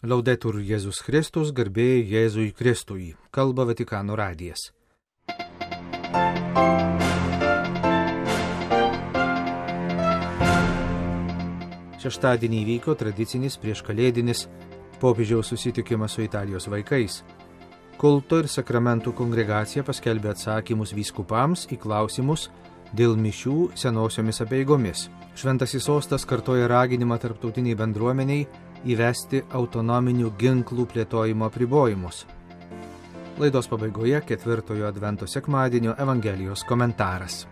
Laudetur Jėzus Kristus, garbė Jėzui Kristui, kalba Vatikano radijas. Šeštadienį įvyko tradicinis prieškalėdinis popiežiaus susitikimas su Italijos vaikais. Kulto ir sakramentų kongregacija paskelbė atsakymus vyskupams į klausimus dėl mišių senosiomis apeigomis. Šventasis sostas kartoja raginimą tarptautiniai bendruomeniai įvesti autonominių ginklų plėtojimo apribojimus. Laidos pabaigoje 4 advento sekmadienio Evangelijos komentaras.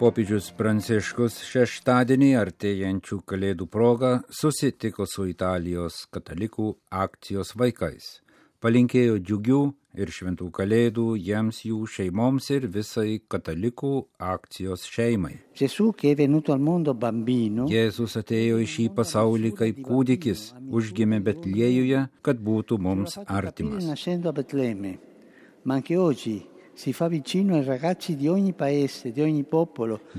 Popiežius Pranciškus šeštadienį artėjančių kalėdų proga susitiko su Italijos katalikų akcijos vaikais. Palinkėjo džiugių ir šventų kalėdų jiems, jų šeimoms ir visai katalikų akcijos šeimai. Jėzus atėjo į šį pasaulį kaip kūdikis, užgimė Betliejuje, kad būtų mums artimas.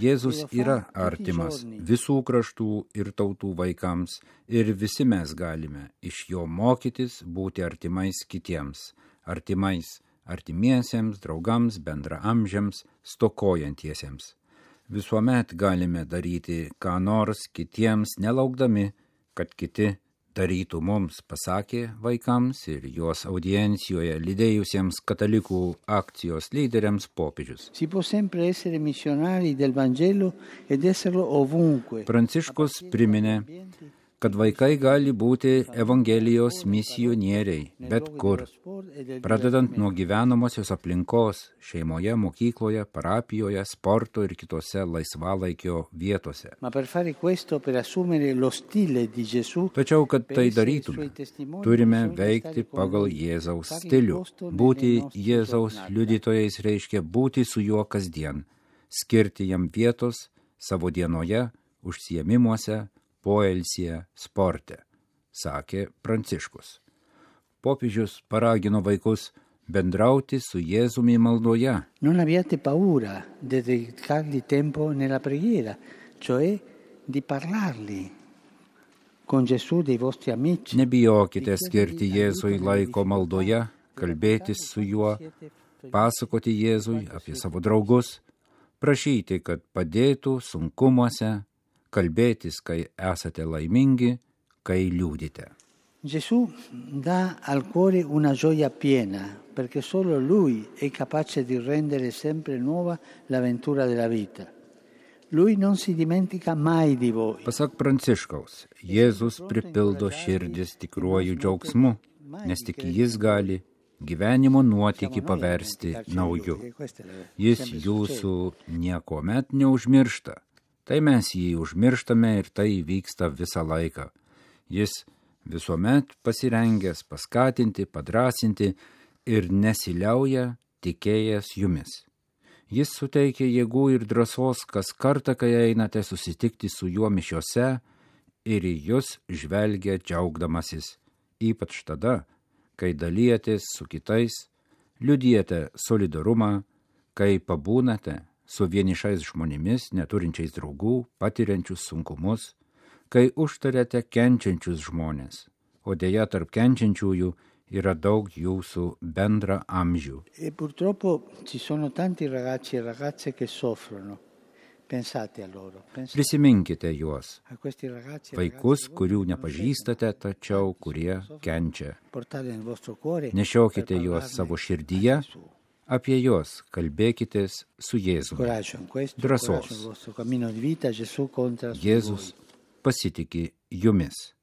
Jėzus yra artimas visų kraštų ir tautų vaikams ir visi mes galime iš jo mokytis būti artimais kitiems, artimiesiems, draugams, bendraamžiams, stokojantiesiems. Visuomet galime daryti ką nors kitiems, nelaukdami, kad kiti darytų mums, pasakė vaikams ir jos audiencijoje lydėjusiems katalikų akcijos lyderiams popiežius. Pranciškus priminė, kad vaikai gali būti Evangelijos misionieriai bet kur, pradedant nuo gyvenamosios aplinkos, šeimoje, mokykloje, parapijoje, sporto ir kitose laisvalaikio vietose. Tačiau, kad tai darytume, turime veikti pagal Jėzaus stilių. Būti Jėzaus liudytojais reiškia būti su juo kasdien, skirti jam vietos savo dienoje, užsiėmimuose, poilsyje, sporte, sakė Pranciškus. Popiežius paragino vaikus bendrauti su Jėzumi maldoje. Non abbiate paura di dedicargli tempo nella preghiera, cioè di parlargli con Gesù dei vostri amici. Nebijokite skirti Jėzui laiko maldoje, kalbėtis su juo, pasakoti Jėzui apie savo draugus, prašyti, kad padėtų sunkumuose, kalbėtis, kai esate laimingi, kai liūdite. Gesù dà al cuore una gioia piena, perché solo Lui è capace di rendere sempre nuova l'avventura della vita. Lui non si dimentica mai di voi. Pasak Pranciškaus, Jėzus pripildo širdis tikruoju džiaugsmu, nes tik jis gali gyvenimo nuotykį paversti nauju. Jis jūsų niekuomet neužmiršta. Tai mes jį užmirštame ir tai vyksta visą laiką. Jis visuomet pasirengęs paskatinti, padrasinti ir nesiliauja tikėjęs jumis. Jis suteikia jėgų ir drąsos kas kartą, kai einate susitikti su juo mišiose ir į jus žvelgia džiaugdamasis, ypač tada, kai dalijatės su kitais, liudijate solidarumą, kai pabūnate su vienišais žmonėmis, neturinčiais draugų, patiriančius sunkumus, kai užtariate kenčiančius žmonės, o deja tarp kenčiančiųjų yra daug jūsų bendra amžių. Prisiminkite juos, vaikus, kurių nepažįstate, tačiau kurie kenčia. Nešiokite juos savo širdyje, apie juos kalbėkitės su Jėzumi. Drąsos. Jėzus pasitiki jumis,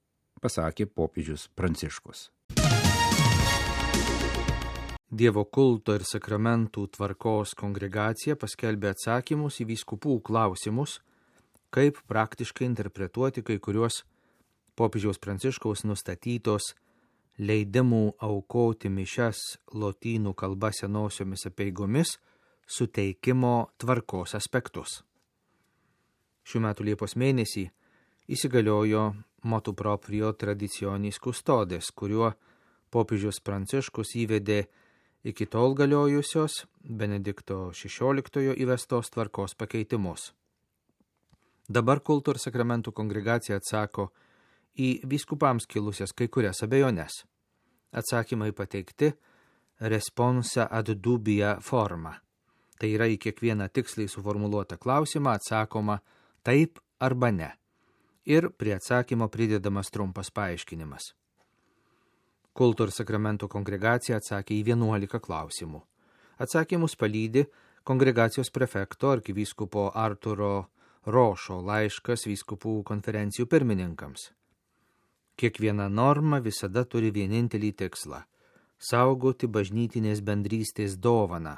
pasakė popiežius Pranciškus. Dievo kulto ir sakramentų tvarkos kongregacija paskelbė atsakymus į vyskupų klausimus, kaip praktiškai interpretuoti kai kuriuos popiežiaus Pranciškaus nustatytos leidimų aukoti mišias lotynų kalba senosiomis apeigomis suteikimo tvarkos aspektus. Šių metų Liepos mėnesį įsigaliojo motu proprio traditionis custodes, kuriuo popiežius Pranciškus įvedė iki tol galiojusios Benedikto XVI įvestos tvarkos pakeitimus. Dabar kulto ir sakramentų kongregacija atsako į vyskupams kilusias kai kurias abejones. Atsakymai pateikti responsa ad dubia forma. Tai yra į kiekvieną tiksliai suformuluotą klausimą atsakoma taip arba ne. Ir prie atsakymo pridedamas trumpas paaiškinimas. Kulto ir sakramentų kongregacija atsakė į 11 klausimų. Atsakymus palydi kongregacijos prefekto arkivyskupo Arturo Rošo laiškas vyskupų konferencijų pirmininkams. Kiekviena norma visada turi vienintelį tikslą – saugoti bažnytinės bendrystės dovaną,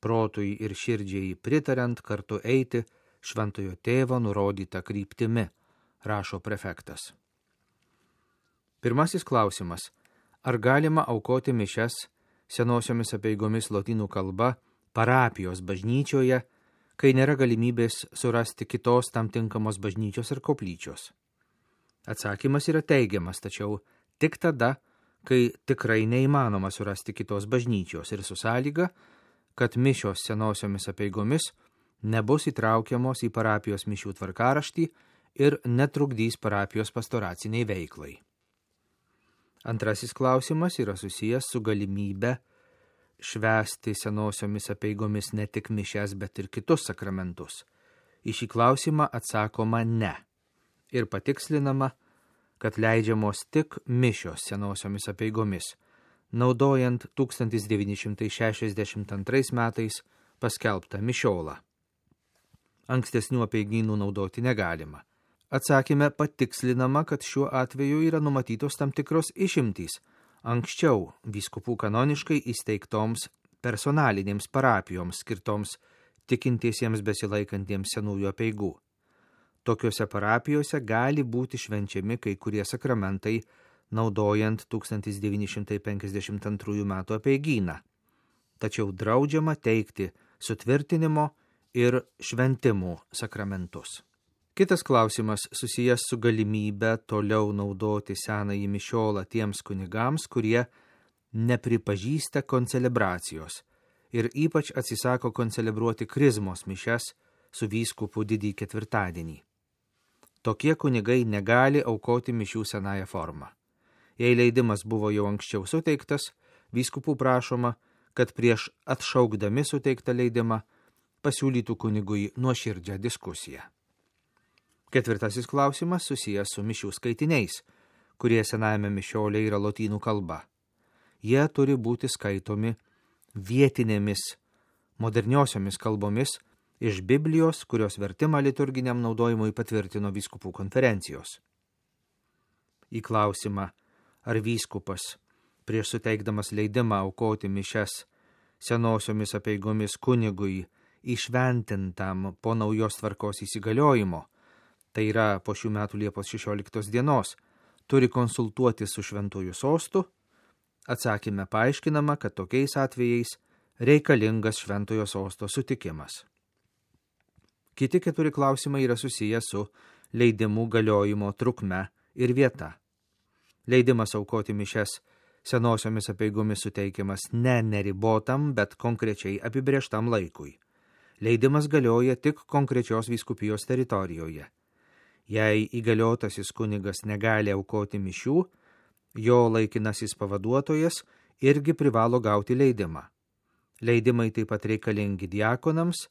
protui ir širdžiai pritariant kartu eiti šventojo tėvo nurodytą kryptimi, rašo prefektas. Pirmasis klausimas – ar galima aukoti mišias senosiomis apeigomis lotynų kalba parapijos bažnyčioje, kai nėra galimybės surasti kitos tam tinkamos bažnyčios ir koplyčios? Atsakymas yra teigiamas, tačiau tik tada, kai tikrai neįmanoma surasti kitos bažnyčios ir su sąlyga, kad mišios senosiomis apeigomis nebus įtraukiamos į parapijos mišių tvarkaraštį ir netrukdys parapijos pastoraciniai veiklai. Antrasis klausimas yra susijęs su galimybe švęsti senosiomis apeigomis ne tik mišias, bet ir kitus sakramentus. Į šį klausimą atsakoma ne. Ir patikslinama, kad leidžiamos tik mišios senosiomis apeigomis, naudojant 1962 metais paskelbtą mišiolą. Ankstesnių apeigynų naudoti negalima. Atsakyme patikslinama, kad šiuo atveju yra numatytos tam tikros išimtys anksčiau vyskupų kanoniškai įsteigtoms personalinėms parapijoms skirtoms tikintiesiems besilaikantiems senųjų apeigų. Tokiuose parapijose gali būti švenčiami kai kurie sakramentai, naudojant 1952 metų apeigyną. Tačiau draudžiama teikti sutvirtinimo ir šventimų sakramentus. Kitas klausimas susijęs su galimybė toliau naudoti senąjį mišiolą tiems kunigams, kurie nepripažįsta koncelebracijos ir ypač atsisako koncelebruoti krizmos mišias su vyskupu didįjį ketvirtadienį. Tokie kunigai negali aukoti mišių senąją formą. Jei leidimas buvo jau anksčiau suteiktas, vyskupų prašoma, kad prieš atšaukdami suteiktą leidimą pasiūlytų kunigui nuoširdžią diskusiją. Ketvirtasis klausimas susijęs su mišių skaitiniais, kurie senajame mišiolė yra lotynų kalba. Jie turi būti skaitomi vietinėmis, moderniosiomis kalbomis iš Biblijos, kurios vertimą liturginiam naudojimui patvirtino vyskupų konferencijos. Į klausimą, ar vyskupas prieš suteikdamas leidimą aukoti mišias senosiomis apeigomis kunigui įšventintam po naujos tvarkos įsigaliojimo, tai yra po šių metų Liepos 16 dienos, turi konsultuoti su šventuoju sostu, atsakyme paaiškinama, kad tokiais atvejais reikalingas šventojo sosto sutikimas. Kiti 4 klausimai yra susiję su leidimų galiojimo trukme ir vieta. Leidimas aukoti mišias senosiomis apeigomis suteikiamas ne neribotam, bet konkrečiai apibrėžtam laikui. Leidimas galioja tik konkrečios vyskupijos teritorijoje. Jei įgaliotasis kunigas negali aukoti mišių, jo laikinasis pavaduotojas irgi privalo gauti leidimą. Leidimai taip pat reikalingi diakonams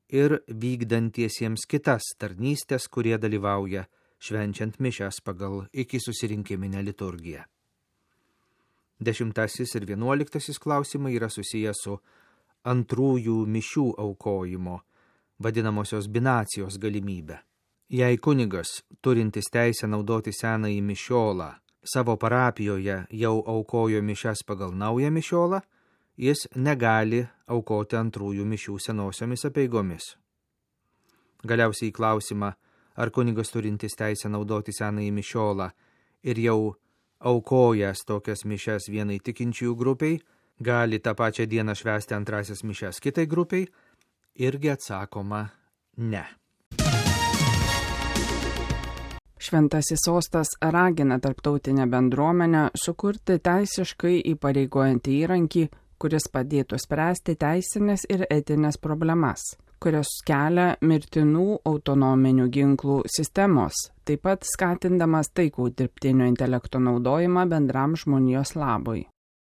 ir vykdantiesiems kitas tarnystės, kurie dalyvauja švenčiant mišias pagal iki susirinkiminę liturgiją. 10 ir 11 klausimai yra susiję su antrųjų mišių aukojimo, vadinamosios binacijos galimybę. Jei kunigas, turintis teisę naudoti senąjį mišiolą, savo parapijoje jau aukojo mišias pagal naują mišiolą, jis negali aukoti antrųjų mišių senosiomis apeigomis. Galiausiai į klausimą, ar kunigas turintis teisę naudoti senąjį mišiolą ir jau aukojęs tokias mišias vienai tikinčiųjų grupiai, gali tą pačią dieną švęsti antrasias mišias kitai grupiai, irgi atsakoma ne. Šventasis sostas ragina tarptautinę bendruomenę sukurti teisiškai įpareigojantį įrankį, kuris padėtų spręsti teisinės ir etinės problemas, kurios kelia mirtinų autonominių ginklų sistemos, taip pat skatindamas taikų dirbtinio intelekto naudojimą bendram žmonijos labui.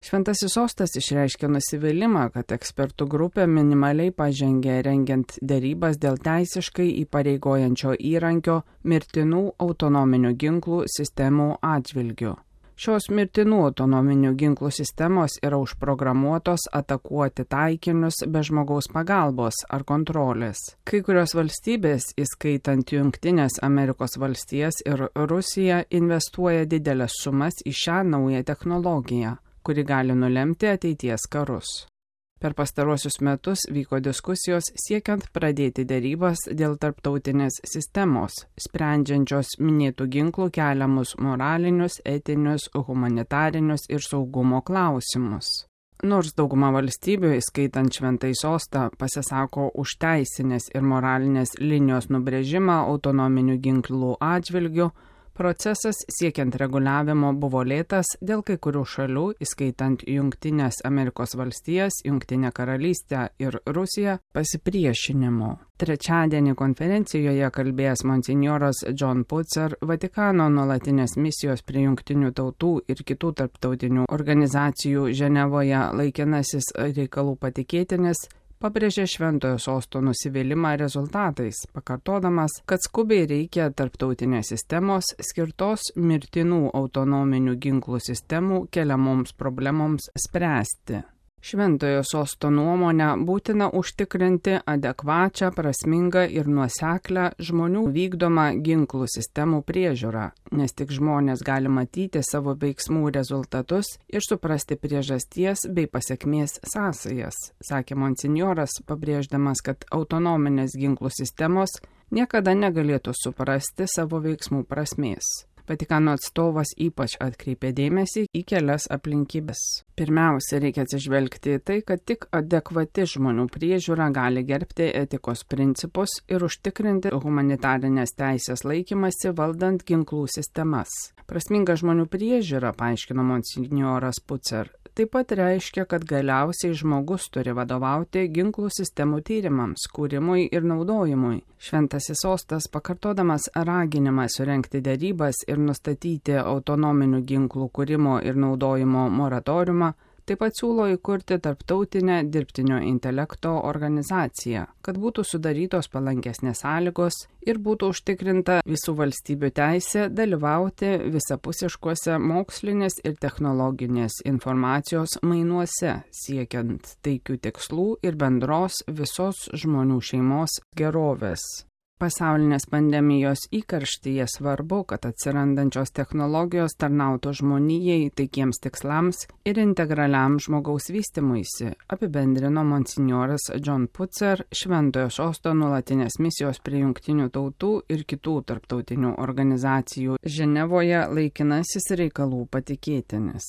Šventasis sostas išreiškė nusivylimą, kad ekspertų grupė minimaliai pažengė rengiant derybas dėl teisiškai įpareigojančio įrankio mirtinų autonominių ginklų sistemų atžvilgiu. Šios mirtinų autonominių ginklų sistemos yra užprogramuotos atakuoti taikinius be žmogaus pagalbos ar kontrolės. Kai kurios valstybės, įskaitant Jungtinės Amerikos valstijas ir Rusiją, investuoja didelės sumas į šią naują technologiją, kuri gali nulemti ateities karus. Per pastaruosius metus vyko diskusijos siekiant pradėti derybas dėl tarptautinės sistemos, sprendžiančios minėtų ginklų keliamus moralinius, etinius, humanitarinius ir saugumo klausimus. Nors dauguma valstybių, įskaitant Šventąjį sostą, pasisako už teisinės ir moralinės linijos nubrėžimą autonominių ginklų atžvilgių, procesas siekiant reguliavimo buvo lėtas dėl kai kurių šalių, įskaitant Jungtinės Amerikos valstijas, Jungtinę karalystę ir Rusiją, pasipriešinimo. Trečiadienį konferencijoje kalbėjęs monsinjoras John Putzer, Vatikano nuolatinės misijos prie Jungtinių tautų ir kitų tarptautinių organizacijų Ženevoje laikinasis reikalų patikėtinis, pabrėžė Šventojo sosto nusivylimą rezultatais, pakartodamas, kad skubiai reikia tarptautinės sistemos skirtos mirtinų autonominių ginklų sistemų keliamoms problemoms spręsti. Šventojo sosto nuomonę būtina užtikrinti adekvačią, prasmingą ir nuoseklę žmonių vykdomą ginklų sistemų priežiūrą, nes tik žmonės gali matyti savo veiksmų rezultatus ir suprasti priežasties bei pasekmės sąsajas, sakė monsinjoras, pabrėždamas, kad autonominės ginklų sistemos niekada negalėtų suprasti savo veiksmų prasmės. Vatikano atstovas ypač atkreipė dėmesį į kelias aplinkybes. Pirmiausia, reikia atsižvelgti į tai, kad tik adekvati žmonių priežiūra gali gerbti etikos principus ir užtikrinti humanitarinės teisės laikymasi valdant ginklų sistemas. Prasminga žmonių priežiūra, paaiškino monsinjoras Putzer, taip pat reiškia, kad galiausiai žmogus turi vadovauti ginklų sistemų tyrimams, kūrimui ir naudojimui. Šventasis sostas, pakartodamas raginimą surengti derybas ir nustatyti autonominių ginklų kūrimo ir naudojimo moratoriumą, taip pat siūlo įkurti tarptautinę dirbtinio intelekto organizaciją, kad būtų sudarytos palankesnės sąlygos ir būtų užtikrinta visų valstybių teisė dalyvauti visapusiškuose mokslinės ir technologinės informacijos mainuose, siekiant taikių tikslų ir bendros visos žmonių šeimos gerovės. Pasaulinės pandemijos įkarštyje svarbu, kad atsirandančios technologijos tarnautų žmonijai taikiems tikslams ir integraliam žmogaus vystymuisi, apibendrino monsinjoras John Putzer, Šventojo sosto nuolatinės misijos prie Jungtinių tautų ir kitų tarptautinių organizacijų Ženevoje laikinasis reikalų patikėtinis.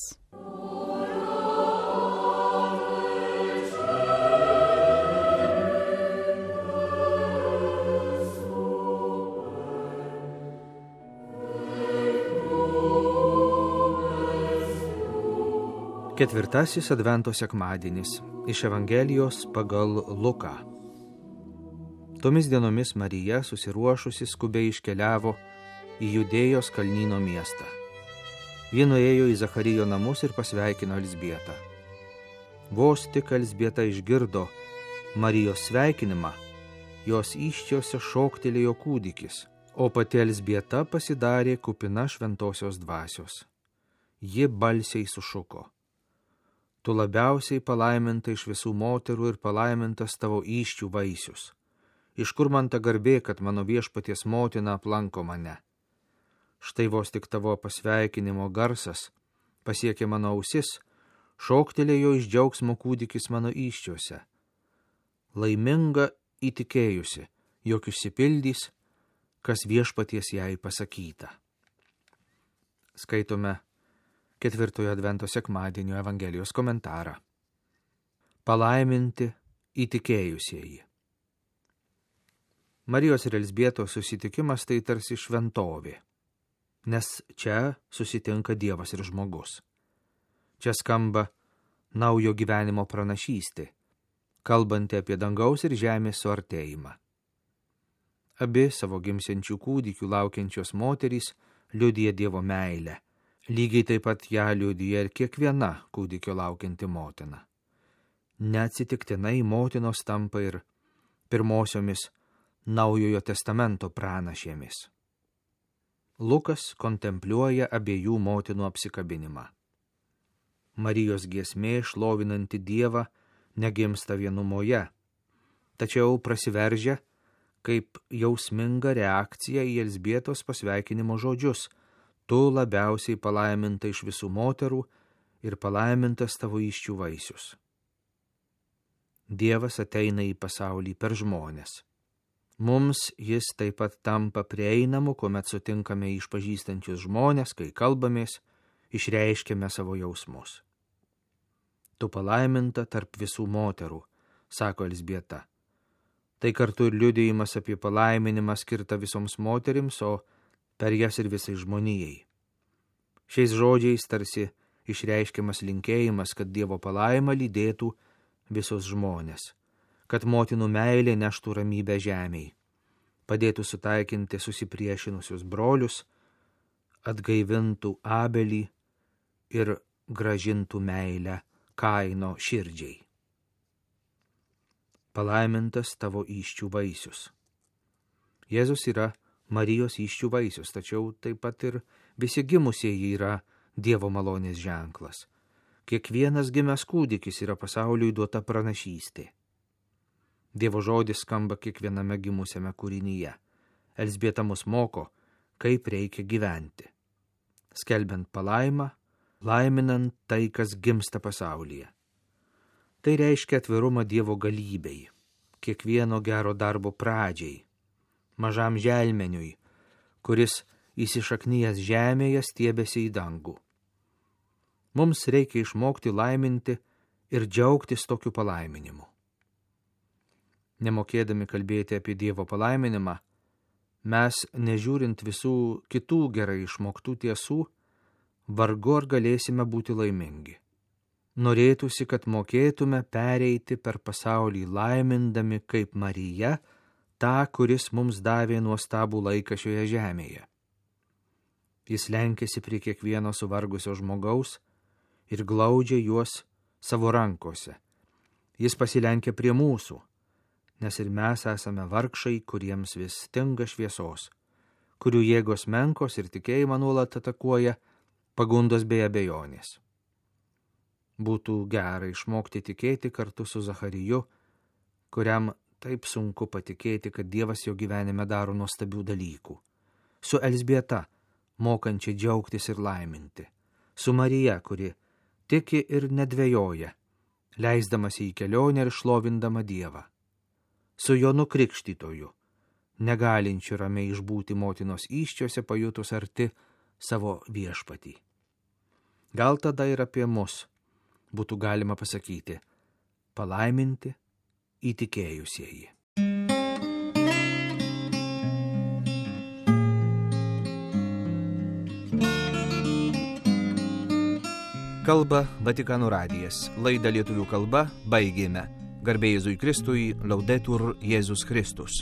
Ketvirtasis Advento sekmadienis iš Evangelijos pagal Luką. Tomis dienomis Marija, susiruošusi, skubiai iškeliavo į Judėjos kalnyno miestą. Ji nuėjo į Zacharijo namus ir pasveikino Elzbietą. Vos tik Elzbieta išgirdo Marijos sveikinimą, jos įsčiose šoktelėjo kūdikis, o pati Elzbieta pasidarė kupina šventosios dvasios. Ji balsiai sušuko: Tu labiausiai palaiminta iš visų moterų ir palaimintas tavo įsčių vaisius. Iš kur man ta garbė, kad mano viešpaties motina aplanko mane? Štai vos tik tavo pasveikinimo garsas pasiekė mano ausis, šoktelėjo iš džiaugsmo kūdikis mano įsčiuose. Laiminga įtikėjusi, jog išsipildys, kas viešpaties jai pasakyta. Skaitome ketvirtojo Advento sekmadienio Evangelijos komentarą. Palaiminti įtikėjusieji. Marijos ir Elzbietos susitikimas tai tarsi šventovė, nes čia susitinka Dievas ir žmogus. Čia skamba naujo gyvenimo pranašystė, kalbanti apie dangaus ir žemės suartėjimą. Abi savo gimsiančių kūdikių laukiančios moterys liudija Dievo meilę. Lygiai taip pat ją liudija ir kiekviena kūdikio laukianti motina. Neatsitiktinai motinos tampa ir pirmosiomis Naujojo testamento pranašėmis. Lukas kontempliuoja abiejų motinų apsikabinimą. Marijos giesmė šlovinanti Dievą negimsta vienumoje, tačiau prasiveržia kaip jausminga reakcija į Elzbietos pasveikinimo žodžius: tu labiausiai palaiminta iš visų moterų ir palaimintas tavo įsčių vaisius. Dievas ateina į pasaulį per žmones. Mums jis taip pat tampa prieinamu, kuomet sutinkame išpažįstančius žmonės, kai kalbamės, išreiškiame savo jausmus. Tu palaiminta tarp visų moterų, sako Elzbieta. Tai kartu ir liudijimas apie palaiminimą skirtą visoms moterims, o per jas ir visai žmonijai. Šiais žodžiais tarsi išreiškiamas linkėjimas, kad Dievo palaima lydėtų visus žmonės, kad motinų meilė neštų ramybę žemėj, padėtų sutaikinti susipriešinusius brolius, atgaivintų Abelį ir grąžintų meilę Kaino širdžiai. Palaimintas tavo įsčių vaisius. Jėzus yra Marijos įsčių vaisius, tačiau taip pat ir visi gimusieji yra Dievo malonės ženklas. Kiekvienas gimęs kūdikis yra pasauliui duota pranašystė. Dievo žodis skamba kiekviename gimusiame kūrinyje. Elzbieta mus moko, kaip reikia gyventi. Skelbiant palaimą, laiminant tai, kas gimsta pasaulyje. Tai reiškia atvirumą Dievo galybei, kiekvieno gero darbo pradžiai, mažam želmeniui, kuris įsišaknyjęs žemėje stiebėsi į dangų. Mums reikia išmokti laiminti ir džiaugtis tokiu palaiminimu. Nemokėdami kalbėti apie Dievo palaiminimą, mes, nežiūrint visų kitų gerai išmoktų tiesų, vargu ar galėsime būti laimingi. Norėtųsi, kad mokėtume pereiti per pasaulį laimindami kaip Marija, tą, kuris mums davė nuostabų laiką šioje žemėje. Jis lenkėsi prie kiekvieno suvargusio žmogaus ir glaudžia juos savo rankose. Jis pasilenkė prie mūsų, nes ir mes esame vargšai, kuriems vis stinga šviesos, kurių jėgos menkos ir tikėjimą nuolat atakuoja pagundos bei abejonės. Būtų gera išmokti tikėti kartu su Zachariju, kuriam taip sunku patikėti, kad Dievas jo gyvenime daro nuostabių dalykų. Su Elzbieta, mokančia džiaugtis ir laiminti. Su Marija, kuri tiki ir nedvejoja, leisdamasi į kelionę ir šlovindama Dievą. Su Jonu Krikštytoju, negalinčiu ramiai išbūti motinos įsčiose, pajutus arti savo viešpatį. Gal tada ir apie mus būtų galima pasakyti: palaiminti įtikėjusieji. Kalba Vatikano radijas. Laidą lietuvių kalba baigėme. Garbė Jėzui Kristui, Laudetur Jėzus Kristus.